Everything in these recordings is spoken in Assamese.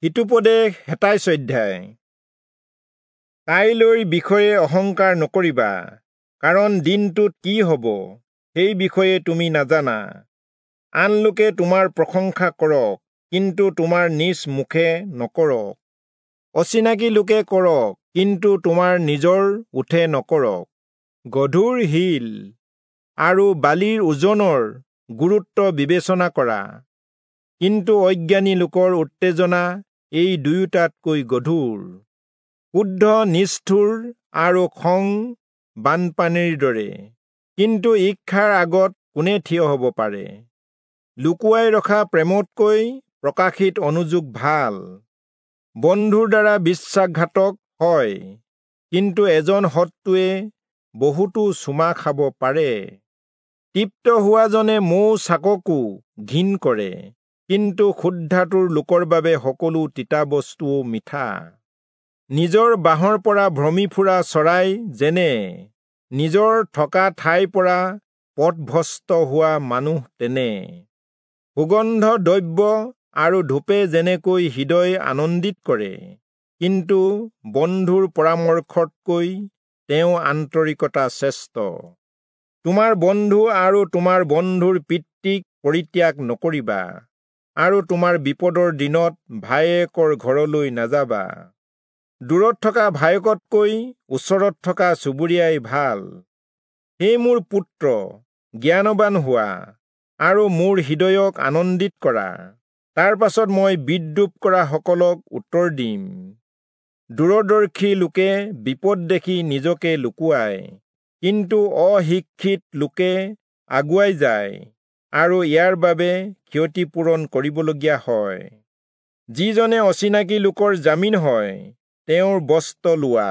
হিতোপদেশ 27 অধ্যায়। কাইলৈৰ বিষয়ে অহংকাৰ নকৰিবা, কাৰণ দিনটোত কি হ'ব সেই বিষয়ে তুমি নাজানা। আন লোকে তোমাৰ প্ৰশংসা কৰক, কিন্তু তোমাৰ নিজ মুখে নকৰক। অচিনাকি লোকে কৰক, কিন্তু তোমাৰ নিজৰ ওঁঠে নকৰক। গধুৰ শিল আৰু বালিৰ ওজনৰ গুৰুত্ব বিবেচনা কৰা, কিন্তু অজ্ঞানী লোকৰ উত্তেজনা এই দুয়োটাতকৈ গধুৰ। ক্ৰোধ নিষ্ঠুৰ আৰু খং বানপানীৰ দৰে, কিন্তু ঈৰ্ষাৰ আগত কোনে থিয় হ'ব পাৰে? লুকুৱাই ৰখা প্ৰেমতকৈ প্ৰকাশিত অনুযোগ ভাল। বন্ধুৰ দ্বাৰা বিশ্বাসঘাতক হয়, কিন্তু এজন শত্ৰুৱে বহুতো চুমা খাব পাৰে। তৃপ্ত হোৱাজনে মৌ চাককো ঘিণ কৰে, কিন্তু ক্ষুধাতুৰ লোকৰ বাবে সকলো তিতা বস্তুও মিঠা। নিজৰ বাঁহৰ পৰা ভ্ৰমি ফুৰা চৰাই যেনে, নিজৰ থকা ঠাইৰ পৰা পথভ্ৰষ্ট হোৱা মানুহ তেনে। সুগন্ধ দ্ৰব্য আৰু ধূপে যেনেকৈ হৃদয় আনন্দিত কৰে, কিন্তু বন্ধুৰ পৰামৰ্শতকৈ তেওঁ আন্তৰিকতা শ্ৰেষ্ঠ। তোমাৰ বন্ধু আৰু তোমাৰ বন্ধুৰ পিতৃক পৰিত্যাগ নকৰিবা, আৰু তোমাৰ বিপদৰ দিনত ভায়েকৰ ঘৰলৈ নাযাবা। দূৰত থকা ভায়েকতকৈ ওচৰত থকা চুবুৰীয়াই ভাল। হে মোৰ পুত্ৰ, জ্ঞানৱান হোৱা আৰু মোৰ হৃদয়ক আনন্দিত কৰা। তাৰ পাছত মই বিদ্ৰূপ কৰা সকলক উত্তৰ দিম। দূৰদৰ্শী লোকে বিপদ দেখি নিজকে লুকুৱায়, কিন্তু অশিক্ষিত লোকে আগুৱাই যায় আৰু ইয়াৰ বাবে ক্ষতিপূৰণ কৰিবলগীয়া হয়। যিজনে অচিনাকি লোকৰ জামিন হয়, তেওঁৰ বস্ত্ৰ লোৱা,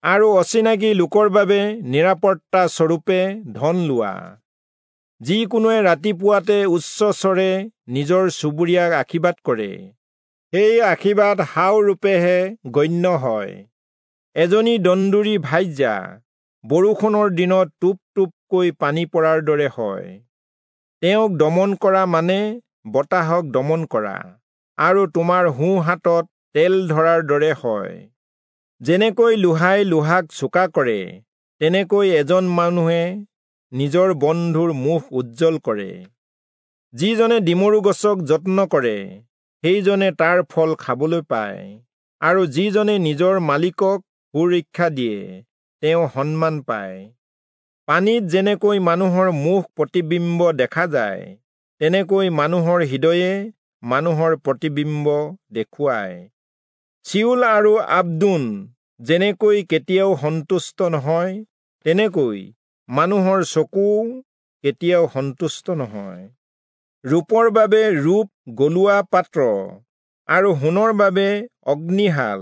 আৰু অচিনাকি লোকৰ বাবে নিৰাপত্তা স্বৰূপে ধন লোৱা। যিকোনোৱে ৰাতিপুৱাতে উচ্চস্বৰে নিজৰ চুবুৰীয়াক আশীৰ্বাদ কৰে, সেই আশীৰ্বাদ হাও ৰূপেহে গণ্য হয়। এজনী দন্দুৰী ভাৰ্যা বৰষুণৰ দিনত টোপ টোপকৈ পানী পৰাৰ দৰে হয়। তেওঁক দমন কৰা মানে বতাহক দমন কৰা, আৰু তোমাৰ সোঁ হাতত তেল ধৰাৰ দৰে হয়। যেনেকৈ লোহাই লোহাক চোকা কৰে, তেনেকৈ এজন মানুহে নিজৰ বন্ধুৰ মুখ উজ্জ্বল কৰে। যিজনে ডিমৰু গছক যত্ন কৰে, সেইজনে তাৰ ফল খাবলৈ পায়, আৰু যিজনে নিজৰ মালিকক সুৰক্ষা দিয়ে, তেওঁ সন্মান পায়। পানীত যেনেকৈ মানুহৰ মুখ প্ৰতিবিম্ব দেখা যায়, তেনেকৈ মানুহৰ হৃদয়ে মানুহৰ প্ৰতিবিম্ব দেখুৱায়। চিউল আৰু আব্দোন যেনেকৈ কেতিয়াও সন্তুষ্ট নহয়, তেনেকৈ মানুহৰ চকুও কেতিয়াও সন্তুষ্ট নহয়। ৰূপৰ বাবে ৰূপ গলোৱা পাত্ৰ, আৰু সোণৰ বাবে অগ্নিশাল,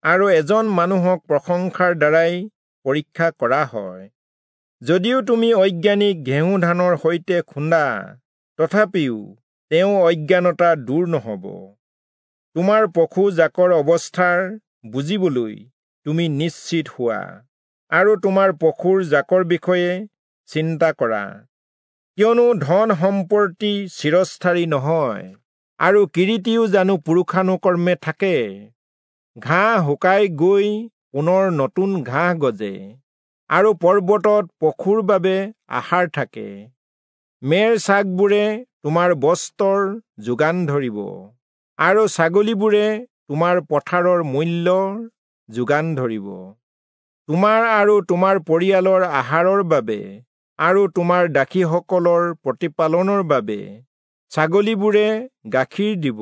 আৰু এজন মানুহক প্ৰশংসাৰ দ্বাৰাই পৰীক্ষা কৰা হয়। যদিও তুমি অজ্ঞানীক ঘেঁহু ধানৰ সৈতে খুন্দা, তথাপিও তেওঁ অজ্ঞানতা দূৰ নহ'ব। তোমাৰ পশু জাকৰ অৱস্থাৰ বুজিবলৈ তুমি নিশ্চিত হোৱা, আৰু তোমাৰ পশুৰ জাকৰ বিষয়ে চিন্তা কৰা। কিয়নো ধন সম্পত্তি চিৰস্থায়ী নহয়, আৰু কিৰীটিও জানো পুৰুষানুকৰ্মে থাকে। ঘাঁহ শুকাই গৈ পুনৰ নতুন ঘাঁহ গজে, আৰু পৰ্বতত পশুৰ বাবে আহাৰ থাকে। মেৰ ছাগবোৰে তোমাৰ বস্ত্ৰৰ যোগান ধৰিব, আৰু ছাগলীবোৰে তোমাৰ পথাৰৰ মূল্যৰ যোগান ধৰিব। তোমাৰ আৰু তোমাৰ পৰিয়ালৰ আহাৰৰ বাবে, আৰু তোমাৰ দাসীসকলৰ প্ৰতিপালনৰ বাবে ছাগলীবোৰে গাখীৰ দিব।